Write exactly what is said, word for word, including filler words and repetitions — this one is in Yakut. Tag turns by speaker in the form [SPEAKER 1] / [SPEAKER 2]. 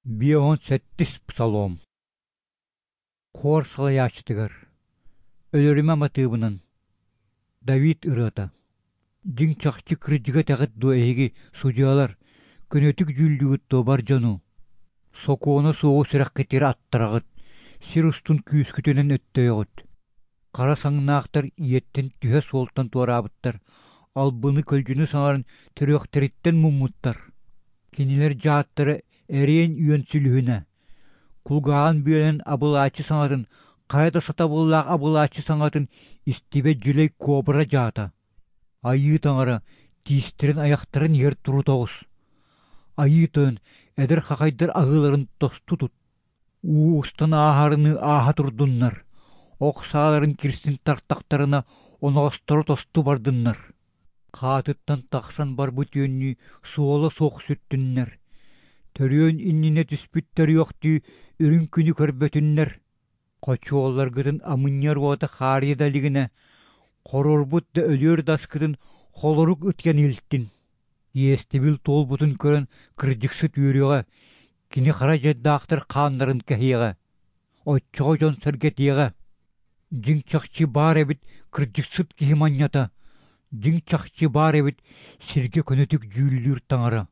[SPEAKER 1] Биэс уон сэттис Псалом. Хор салайааччытыгар. Өлөрүмэ матыыбынан. Давид ырыата. Дьиҥ чахчы кырдьыгы этэҕит дуо эһиги, судьуйалар, көнөтүк дьүүллүүгүт дуо бар дьону? Сокуона суоҕу сүрэххитигэр аттараҕыт, сир устун күүскүтүнэн өттөйөҕүт. Хара саҥнаахтар ийэттэн түһэ суолтан туораабыттар, албыны-көлдьүнү саҥаран төрүөхтэриттэн муммуттар. Кинилэр дьааттара эриэн үөн сүлүһүнэ, кулгааҕын бүөлэнэн абылааччы саҥатын, хайа да сатабыллаах абылааччы саҥатын истибэт дьүлэй кобра дьаата. Айыы Таҥара тиистэрин айахтарын иһэр турута оҕус. Айыы Тойон эдэр хахайдар аһыыларын тосту тут. Уу устан ааһарыныы ааһа турдуннар, ох сааларын кирсин тартахтарына оноҕосторо тосту бардыннар. Хаатыттан тахсан барбыт үөннүү суола суох сүттүннэр. Төрүөн иннинэ түспүт төрүөхтүү үрүҥ күнү көрбөтүннэр. Хочуолларгытын амынньыар уота хаарыйа да илигинэ, хоруорбут да өлүөр да аскытын холорук ытыйан илтин. Иэстэбил туолбутун көрөн кырдьыксыт үөрүөҕэ, кини хара дьайдаахтар хааннарын кэһиэҕэ. Оччоҕо дьон сэргэтиэҕэ. Дьиҥ чахчы баар эбит кырдьыксыт киһи манньата, дьиҥ чахчы баар эбит сиргэ көнөтүк дьүүллүүр таҥара.